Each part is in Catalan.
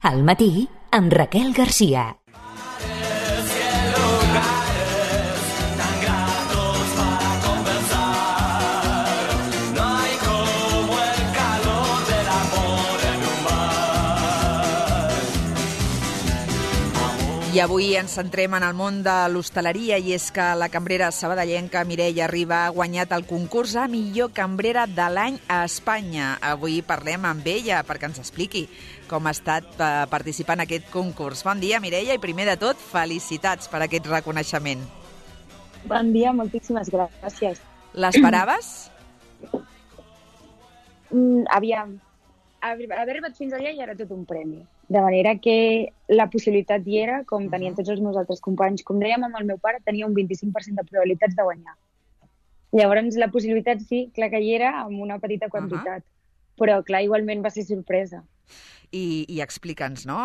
Al matí, amb Raquel Garcia. I avui ens centrem en el món de l'hostaleria i és que la cambrera sabadellenca Mireia Riba ha guanyat el concurs a millor cambrera de l'any a Espanya. Avui parlem amb ella perquè ens expliqui com ha estat participar en aquest concurs. Bon dia, Mireia, i primer de tot, felicitats per aquest reconeixement. Bon dia, moltíssimes gràcies. L'esperaves? Aviam, haver arribat fins allà ja era tot un premi. De manera que la possibilitat hi era, com tenien tots els meus altres companys. Com dèiem amb el meu pare, tenia un 25% de probabilitats de guanyar. Llavors, la possibilitat sí, clar que hi era, amb una petita quantitat. Però, clar, igualment va ser sorpresa. I explica'ns, no?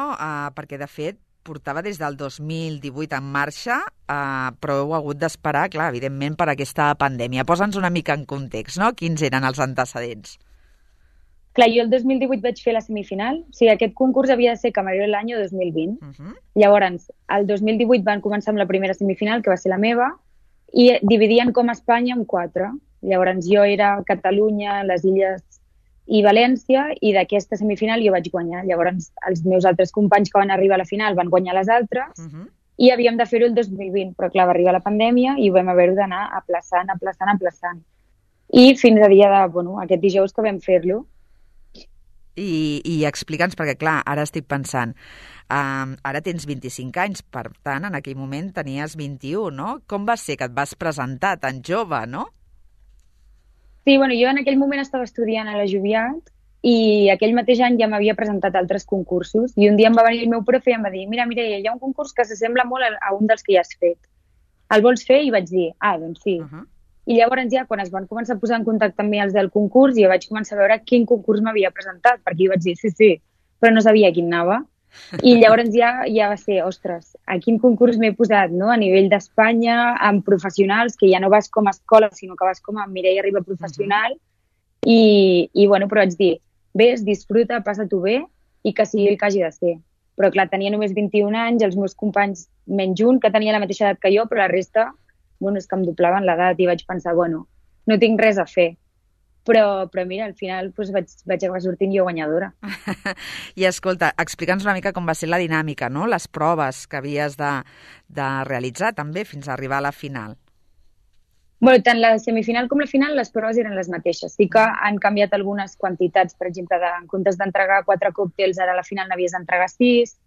Perquè, de fet, portava des del 2018 en marxa, però heu hagut d'esperar, clar, evidentment, per aquesta pandèmia. Posa'ns una mica en context, no? Quins eren els antecedents? Clar, jo el 2018 vaig fer la semifinal. O sigui, aquest concurs havia de ser camarero de l'any 2020. Llavors, el 2018 van començar amb la primera semifinal, que va ser la meva, i dividien com a Espanya en 4. Llavors, jo era Catalunya, les Illes i València, i d'aquesta semifinal jo vaig guanyar. Llavors, els meus altres companys que van arribar a la final van guanyar les altres, i havíem de fer-ho el 2020. Però, clar, va arribar la pandèmia i ho vam haver d'anar aplaçant. I fins a dia de, aquest dijous que vam fer-lo. I explica'ns, perquè clar, ara estic pensant, ara tens 25 anys, per tant, en aquell moment tenies 21, no? Com va ser que et vas presentar tan jove, no? Sí, jo en aquell moment estava estudiant a la Joviat i aquell mateix any ja m'havia presentat a altres concursos i un dia em va venir el meu profe i em va dir: mira, Mireia, hi ha un concurs que s'assembla molt a un dels que ja has fet. El vols fer? I vaig dir, doncs sí. I llavors ja, quan es van començar a posar en contacte amb mi els del concurs, jo vaig començar a veure quin concurs m'havia presentat, perquè jo vaig dir sí, però no sabia quin anava. I llavors ja va ser, ostres, a quin concurs m'he posat, no? A nivell d'Espanya, amb professionals, que ja no vas com a escola, sinó que vas com a Mireia Riba professional. I però vaig dir, vés, disfruta, passa-t'ho bé i que sigui el que hagi de ser. Però clar, tenia només 21 anys, els meus companys menys un, que tenia la mateixa edat que jo, però la resta és que em doblaven l'edat i vaig pensar, no tinc res a fer. Però mira, al final vaig acabar sortint jo guanyadora. I escolta, explica'ns una mica com va ser la dinàmica, no? Les proves que havies de realitzar també fins a arribar a la final. Tant la semifinal com la final, les proves eren les mateixes. Sí que han canviat algunes quantitats, per exemple, en comptes d'entregar 4 còctels, ara a la final n'havies d'entregar 6.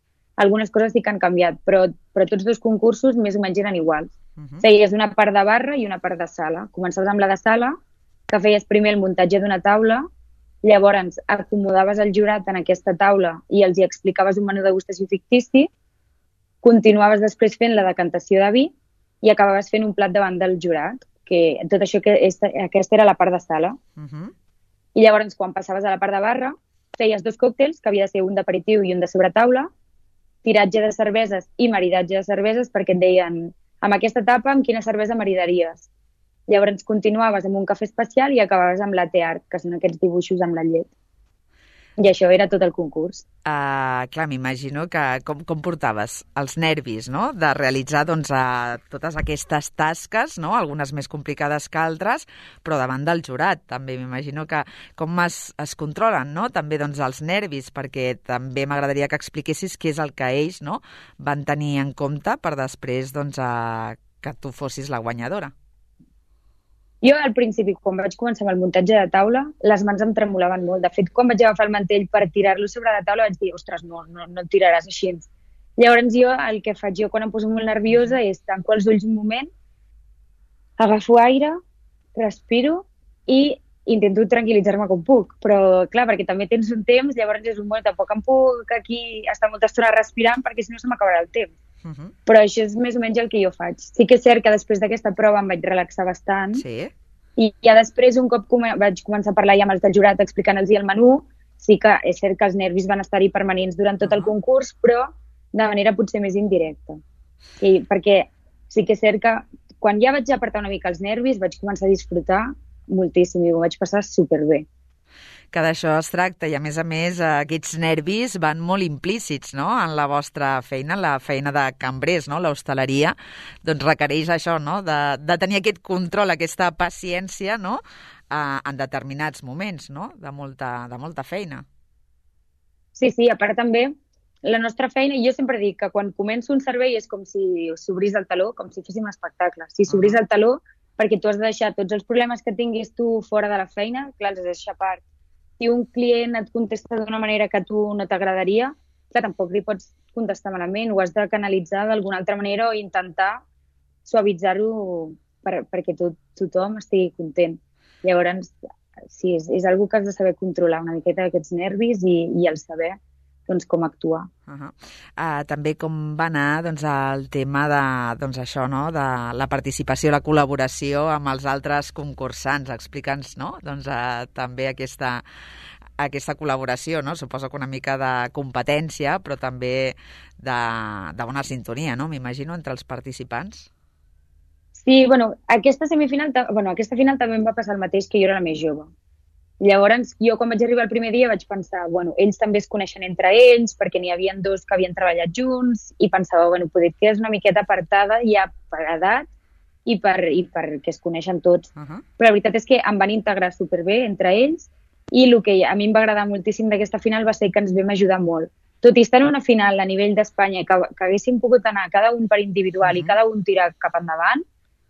Algunes coses sí que han canviat, però tots dos concursos més o menys eren iguals. Feies una part de barra i una part de sala. Començaves amb la de sala, que feies primer el muntatge d'una taula, llavors acomodaves el jurat en aquesta taula i els hi explicaves un menú de degustació fictici, continuaves després fent la decantació de vi i acabaves fent un plat davant del jurat, que tot això, aquesta era la part de sala. I llavors, quan passaves a la part de barra, feies 2 còctels, que havia de ser un d'aperitiu i un de sobretaula, tiratge de cerveses i maridatge de cerveses, perquè et deien, amb aquesta tapa, amb quina cervesa maridaries? Llavors continuaves amb un cafè especial i acabaves amb latte art, que són aquests dibuixos amb la llet. I això era tot el concurs. Clar, m'imagino que com portaves els nervis, no?, de realitzar totes aquestes tasques, no?, algunes més complicades que altres, però davant del jurat també. M'imagino que com es controlen, no?, també els nervis, perquè també m'agradaria que expliquessis què és el que ells, no?, van tenir en compte per després que tu fossis la guanyadora. Jo, al principi, quan vaig començar amb el muntatge de taula, les mans em tremolaven molt. De fet, quan vaig agafar el mantell per tirar-lo sobre la taula, vaig dir, ostres, no el tiraràs així. Llavors jo, el que faig jo quan em poso molt nerviosa és tanco els ulls un moment, agafo aire, respiro i intento tranquil·litzar-me com puc. Però, clar, perquè també tens un temps, llavors és tampoc em puc aquí estar molta estona respirant perquè si no se m'acabarà el temps. Però això és més o menys el que jo faig. Sí que és cert que després d'aquesta prova em vaig relaxar bastant. Sí. I ja després, un cop vaig començar a parlar ja amb els del jurat explicant-los el menú, sí que és cert que els nervis van estar-hi permanents durant tot el concurs, però de manera potser més indirecta. Perquè sí que és cert que quan ja vaig apartar una mica els nervis vaig començar a disfrutar moltíssim i ho vaig passar superbé. Que d'això es tracta i, a més, aquests nervis van molt implícits, no?, en la vostra feina, la feina de cambrers, no?, l'hostaleria, doncs requereix això, no?, de tenir aquest control, aquesta paciència, no?, en determinats moments, no?, de molta feina. Sí, a part també, la nostra feina, jo sempre dic que quan començo un servei és com si s'obrís el teló, com si féssim un espectacle. Si s'obrís el teló, perquè tu has de deixar tots els problemes que tinguis tu fora de la feina, clar, els has de deixar a part. Si un client et contesta d'una manera que a tu no t'agradaria, clar, tampoc li pots contestar malament, ho has de canalitzar d'alguna altra manera o intentar suavitzar-ho perquè tothom estigui content. Llavors, sí, és una que has de saber controlar una miqueta aquests nervis i el saber doncs, com actuar. També com va anar doncs, el tema de, això, no?, de la participació, la col·laboració amb els altres concursants. Explica'ns, no?, doncs, també aquesta col·laboració, no? Suposo que una mica de competència, però també de bona sintonia, no?, m'imagino, entre els participants. Sí, aquesta final també em va passar el mateix, que jo era la més jove. Llavors, jo quan vaig arribar el primer dia vaig pensar, ells també es coneixen entre ells, perquè n'hi havia dos que havien treballat junts, i pensava, poder que és una miqueta apartada ja per edat i perquè es coneixen tots. Però la veritat és que em van integrar superbé entre ells, i el que a mi em va agradar moltíssim d'aquesta final va ser que ens vam ajudar molt. Tot i estar en una final a nivell d'Espanya que haguéssim pogut anar cada un per individual i cada un tirar cap endavant,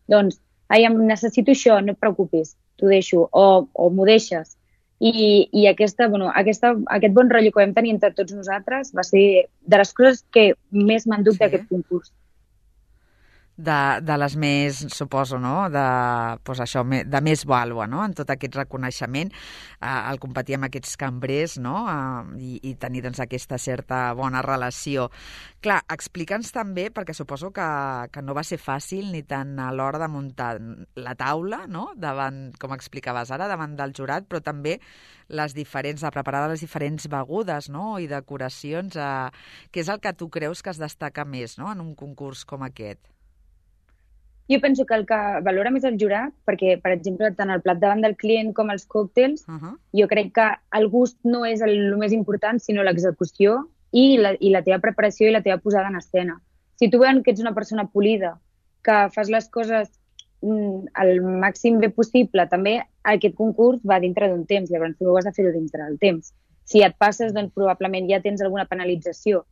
doncs, necessito això, no et preocupis, t'ho deixo, o m'ho deixes. I aquest bon rotllo que vam tenir entre tots nosaltres va ser de les coses que més m'han dut d'aquest concurs. De les més, suposo, no?, de més vàlua, no?, en tot aquest reconeixement, el competir amb aquests cambrers, no?, i tenir, doncs, aquesta certa bona relació. Clar, explica'ns també, perquè suposo que no va ser fàcil ni tant a l'hora de muntar la taula, no?, davant, com explicaves ara, davant del jurat, però també de preparar les diferents begudes, no?, i decoracions, què és el que tu creus que es destaca més, no?, en un concurs com aquest? Jo penso que el que valora més el jurat, perquè, per exemple, tant el plat davant del client com els còctels, jo crec que el gust no és el més important, sinó l'execució i la teva preparació i la teva posada en escena. Si tu veus que ets una persona polida, que fas les coses el màxim bé possible, també aquest concurs va dintre d'un temps, llavors tu has de fer-ho dintre del temps. Si et passes, doncs probablement ja tens alguna penalització.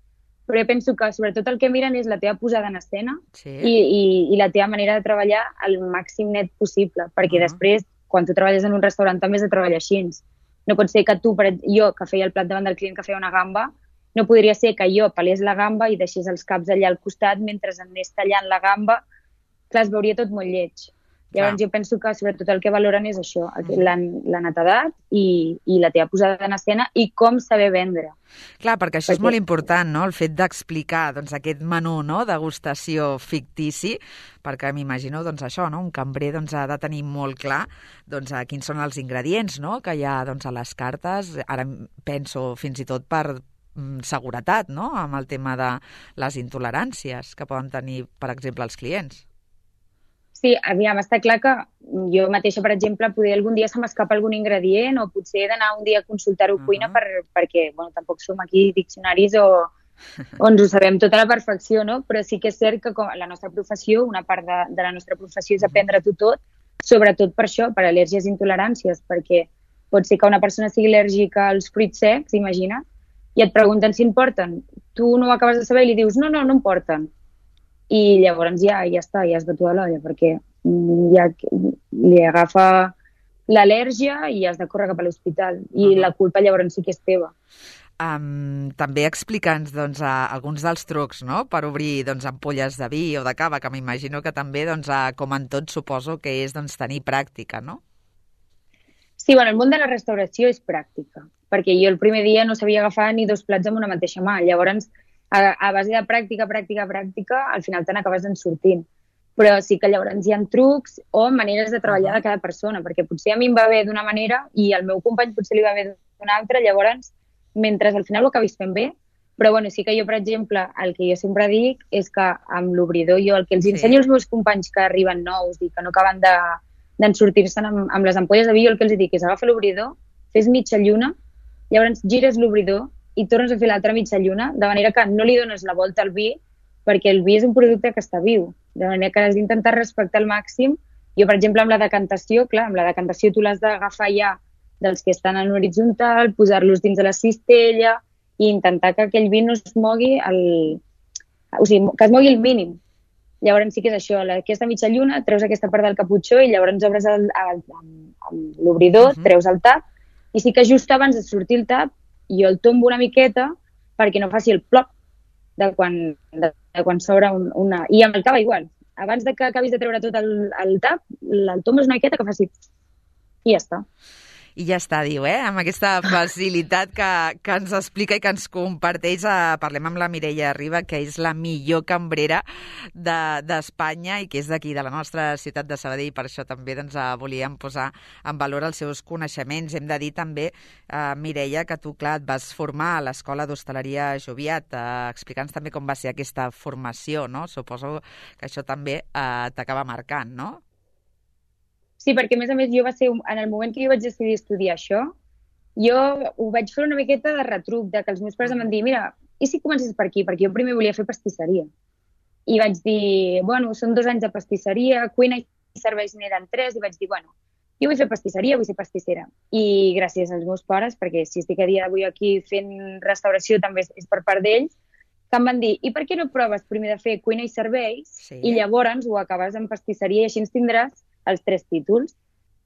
Però jo penso que sobretot el que miren és la teva posada en escena i la teva manera de treballar al màxim net possible, perquè després, quan tu treballes en un restaurant, també has de treballar així. No pot ser que jo, que feia el plat davant del client que feia una gamba, no podria ser que jo pelés la gamba i deixés els caps allà al costat mentre anés tallant la gamba. Clar, es veuria tot molt lleig. Llavors jo penso que sobretot el que valoren és això, la netedat i la teva posada en escena i com saber vendre. Clar, perquè això és molt important, no?, el fet d'explicar doncs, aquest menú, no?, degustació fictici, perquè m'imagino doncs, això, no?, un cambrer doncs, ha de tenir molt clar doncs, quins són els ingredients, no?, que hi ha doncs, a les cartes. Ara penso fins i tot per seguretat, no?, amb el tema de les intoleràncies que poden tenir, per exemple, els clients. Sí, aviam, està clar que jo mateixa, per exemple, poder algun dia se m'escapa algun ingredient o potser he d'anar un dia a consultar-ho a cuina perquè tampoc som aquí diccionaris o ens ho sabem tota a la perfecció, no? Però sí que és cert que la nostra professió, una part de la nostra professió és aprendre-t'ho tot, sobretot per això, per al·lèrgies i intoleràncies, perquè pot ser que una persona sigui al·lèrgica als fruits secs, imagina't, i et pregunten si en porten. Tu no ho acabes de saber i li dius no en porten. I llavors ja està, ja has de toda l'olla, perquè ja li agafa l'al·lèrgia i has de córrer cap a l'hospital. I la culpa llavors sí que és teva. També explica'ns doncs, alguns dels trucs, no?, per obrir doncs, ampolles de vi o de cava, que m'imagino que també, doncs, com en tot, suposo que és doncs, tenir pràctica, no? Sí, el món de la restauració és pràctica, perquè jo el primer dia no sabia agafar ni 2 plats amb una mateixa mà. Llavors, a base de pràctica, al final te n'acabes en sortint. Però sí que llavors hi ha trucs o maneres de treballar de cada persona, perquè potser a mi em va bé d'una manera i al meu company potser li va bé d'una altra, llavors, mentre al final ho acabis fent bé. Però sí que jo, per exemple, el que jo sempre dic és que amb l'obridor jo el que els ensenyo als meus companys que arriben nous i que no acaben d'en sortir-se'n amb les ampolles de vi, jo el que els dic és agafa l'obridor fes mitja lluna, llavors gires l'obridor i tornes a fer l'altra mitja lluna, de manera que no li dones la volta al vi, perquè el vi és un producte que està viu, de manera que has d'intentar respectar al màxim. Jo, per exemple, amb la decantació, clar, amb la decantació tu l'has d'agafar ja dels que estan en horitzontal, posar-los dins de la cistella i intentar que aquell vi no es mogui, o sigui, que es mogui el mínim. Llavors sí que és això, aquesta mitja lluna, treus aquesta part del caputxó i llavors obres l'obridor, treus el tap, i sí que just abans de sortir el tap jo el tombo una miqueta perquè no faci el plop de quan s'obre una... I amb el cava igual. Abans de que acabis de treure tot el tap, el tombes una miqueta que faci... I ja està. I ja està, diu, amb aquesta facilitat que ens explica i que ens comparteix. Parlem amb la Mireia Riba, que és la millor cambrera d'Espanya i que és d'aquí, de la nostra ciutat de Sabadell. Per això també volíem posar en valor els seus coneixements. Hem de dir també, Mireia, que tu, clar, et vas formar a l'Escola d'Hostaleria Joviat. Explica'ns també com va ser aquesta formació, no? Suposo que això també t'acaba marcant, no? Sí, perquè a més, jo va ser, en el moment que jo vaig decidir estudiar això, jo ho vaig fer una miqueta de retruc, de que els meus pares em van dir, mira, i si comences per aquí? Perquè jo primer volia fer pastisseria. I vaig dir, bueno, són 2 anys de pastisseria, cuina i serveis n'eren 3, i vaig dir, bueno, jo vull fer pastisseria, vull ser pastissera. I gràcies als meus pares, perquè si estic a dia d'avui aquí fent restauració també és per part d'ells, que em van dir, i per què no proves primer de fer cuina i serveis i llavors ho acabes en pastisseria i així ens tindràs els 3 títols.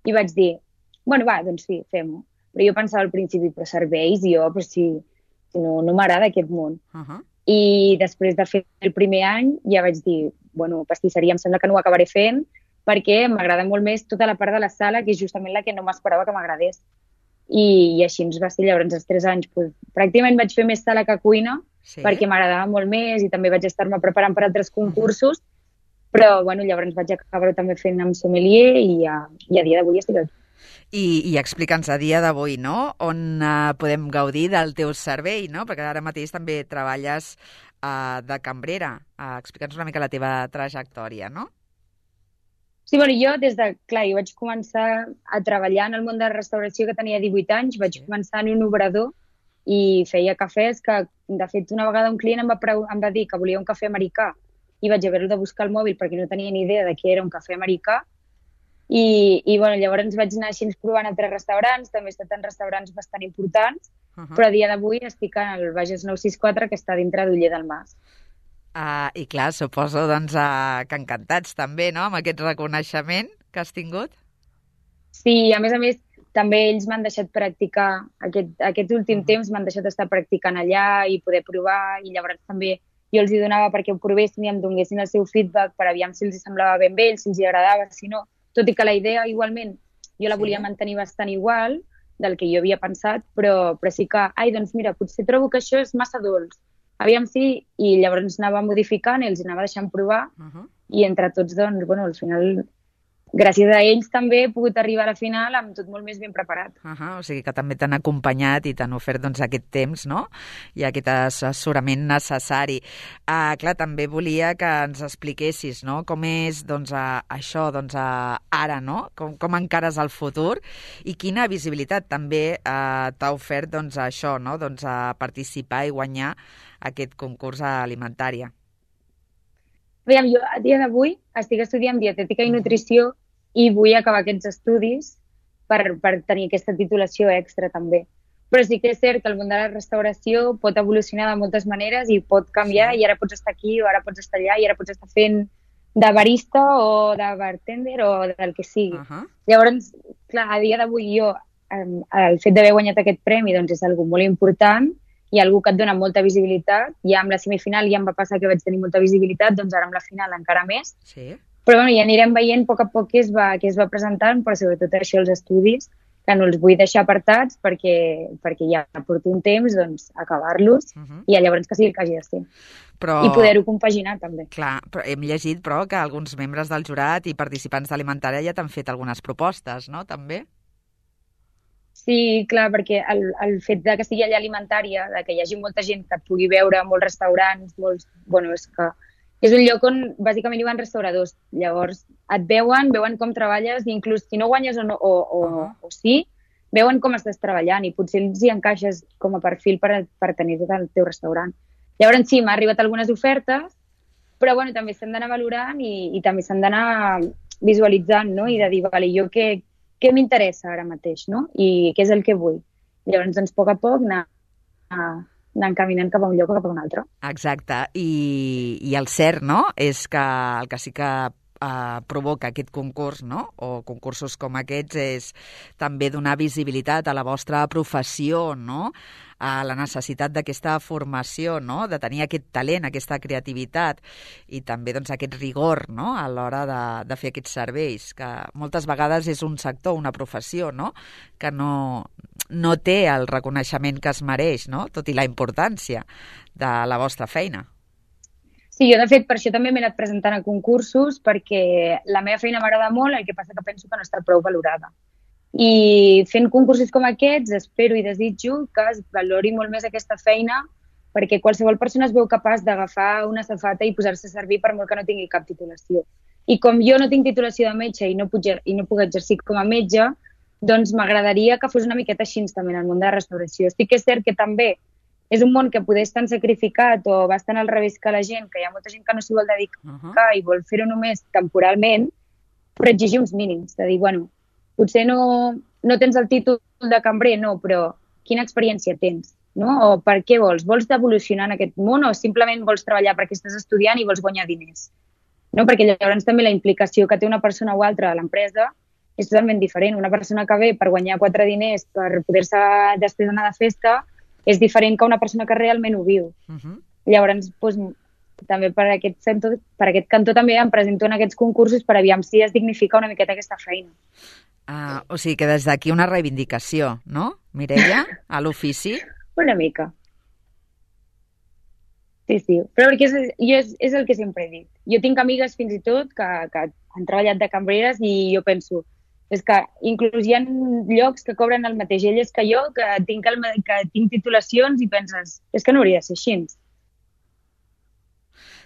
I vaig dir, bueno, va, doncs sí, fem-ho. Però jo pensava al principi, però serveis, però si no m'agrada aquest món. I després de fer el primer any ja vaig dir, bueno, pastisseria em sembla que no ho acabaré fent perquè m'agrada molt més tota la part de la sala, que és justament la que no m'esperava que m'agradés. I així ens va ser, llavors, els 3 anys. Pràcticament vaig fer més sala que cuina, perquè m'agradava molt més i també vaig estar-me preparant per altres concursos, però bueno, llavors vaig acabar també fent amb sommelier i a dia d'avui estic aquí. I explica'ns a dia d'avui, no?, on podem gaudir del teu servei, no?, perquè ara mateix també treballes de cambrera. Explica'ns una mica la teva trajectòria, no? Sí, bueno, jo jo vaig començar a treballar en el món de la restauració que tenia 18 anys, vaig començar en un obrador i feia cafès que, de fet, una vegada un client em va dir que volia un cafè americà i vaig haver-ho de buscar al mòbil perquè no tenia ni idea de què era un cafè americà i bueno, llavors vaig anar així provant altres restaurants, també he estat en restaurants bastant importants, però a dia d'avui estic al Bages 964, que està dintre d'Oller del Mas. I clar, suposo que encantats també, no?, amb aquest reconeixement que has tingut. Sí, a més, també ells m'han deixat practicar, aquest últim temps m'han deixat estar practicant allà i poder provar, i llavors també jo els hi donava perquè ho provessin i em donessin el seu feedback per aviam si els semblava ben bé, si els hi agradava, si no. Tot i que la idea, igualment, jo la volia mantenir bastant igual del que jo havia pensat, però sí que, doncs mira, potser trobo que això és massa dolç. Aviam si, i llavors anava modificant i els anava deixant provar, i entre tots, doncs, bueno, al final, gràcies a ells també he pogut arribar a la final amb tot molt més ben preparat. O sigui que també t'han acompanyat i t'han ofert aquest temps, no?, i aquest assessorament necessari. Clar, també volia que ens expliquessis, no?, com és això ara, no?, com encares el futur i quina visibilitat també t'ha ofert això, no?, participar i guanyar aquest concurs alimentària. Aviam, jo a dia d'avui estic estudiant dietètica i nutrició i vull acabar aquests estudis per tenir aquesta titulació extra també. Però sí que és cert que el món de la restauració pot evolucionar de moltes maneres i pot canviar, i ara pots estar aquí o ara pots estar allà i ara pots estar fent de barista o de bartender o del que sigui. Llavors, clar, a dia d'avui jo, el fet d'haver guanyat aquest premi doncs és algo molt important i algú que et dona molta visibilitat. Ja amb la semifinal ja em va passar que vaig tenir molta visibilitat, doncs ara amb la final encara més. Sí. Però bueno, ja anirem veient a poc què es va presentant, però sobretot això, els estudis, que no els vull deixar apartats perquè ja porto un temps, doncs, acabar-los i llavors que sigui el que hagi de ser. I poder-ho compaginar també. Clar, però hem llegit que alguns membres del jurat i participants d'Alimentària ja t'han fet algunes propostes, no?, també? Sí, clar, perquè el fet que sigui allà Alimentària, que hi hagi molta gent que et pugui veure, molts restaurants, bueno, és que és un lloc on bàsicament hi van restauradors. Llavors et veuen com treballes i inclús si no guanyes o sí, veuen com estàs treballant i potser els hi encaixes com a perfil per tenir tot el teu restaurant. Llavors sí, m'ha arribat algunes ofertes, però bueno, també s'han d'anar valorant i també s'han d'anar visualitzant, no? I de dir, vale, jo què m'interessa ara mateix, no? I què és el que vull. Llavors, doncs, a poc anar encaminant cap a un lloc o cap a un altre. Exacte. I el cert, no?, és que el que sí que provoca aquest concurs, no?, o concursos com aquests, és també donar visibilitat a la vostra professió, no?, a la necessitat d'aquesta formació, no?, de tenir aquest talent, aquesta creativitat i també doncs, aquest rigor, no?, a l'hora de fer aquests serveis, que moltes vegades és un sector, una professió, no?, que no té el reconeixement que es mereix, no?, tot i la importància de la vostra feina. Sí, jo de fet per això també m'he anat presentant a concursos, perquè la meva feina m'agrada molt, el que passa que penso que no està prou valorada. I fent concursos com aquests espero i desitjo que es valori molt més aquesta feina, perquè qualsevol persona es veu capaç d'agafar una safata i posar-se a servir per molt que no tingui cap titulació. I com jo no tinc titulació de metge i no puc exercir com a metge, doncs m'agradaria que fos una miqueta així també en el món de la restauració. Estic que és cert que també és un món que poder estar sacrificat o bastant al revés que la gent, que hi ha molta gent que no s'hi vol dedicar i vol fer-ho només temporalment, però exigir uns mínims, de dir, bueno, potser no tens el títol de cambrer, no, però quina experiència tens, no? O per què vols? Vols evolucionar en aquest món o simplement vols treballar perquè estàs estudiant i vols guanyar diners? No? Perquè llavors també la implicació que té una persona o altra a l'empresa és totalment diferent. Una persona que ve per guanyar 4 diners, per poder-se després anar de festa, és diferent que una persona que realment ho viu. Llavors, doncs, també per aquest cantó també em presento en aquests concursos per aviam si es dignifica una miqueta aquesta feina. O sigui que des d'aquí una reivindicació, no, Mireia, a l'ofici? Una mica. Sí, però perquè és el que sempre he dit. Jo tinc amigues fins i tot que han treballat de cambreres i jo penso, és que inclús hi ha llocs que cobren el mateix elles que jo, que tinc titulacions i penses, és que no hauria de ser així.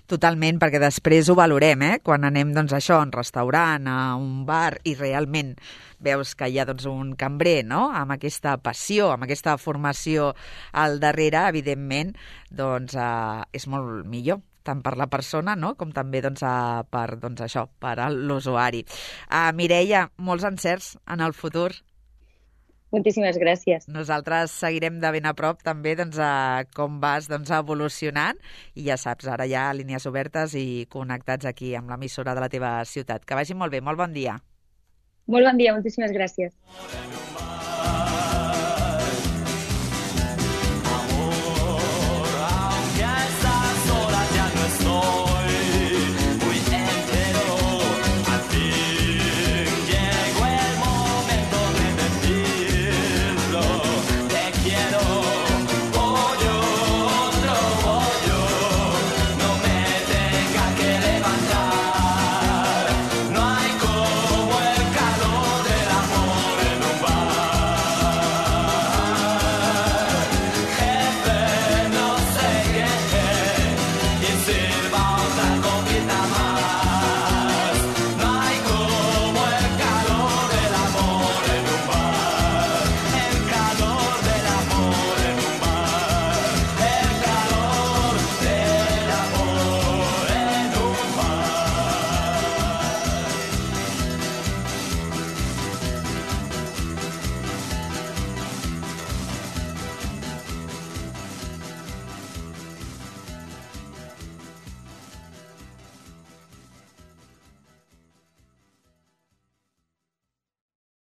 Totalment, perquè després ho valorem, quan anem doncs, això, a un restaurant, a un bar, i realment veus que hi ha doncs, un cambrer, no?, amb aquesta passió, amb aquesta formació al darrere, evidentment, doncs, és molt millor, tant per la persona, no?, com també doncs, per l'usuari. Mireia, molts encerts en el futur. Moltíssimes gràcies. Nosaltres seguirem de ben a prop també doncs, com vas evolucionant i ja saps, ara hi ha línies obertes i connectats aquí amb l'emissora de la teva ciutat. Que vagi molt bé, molt bon dia. Molt bon dia, moltíssimes gràcies.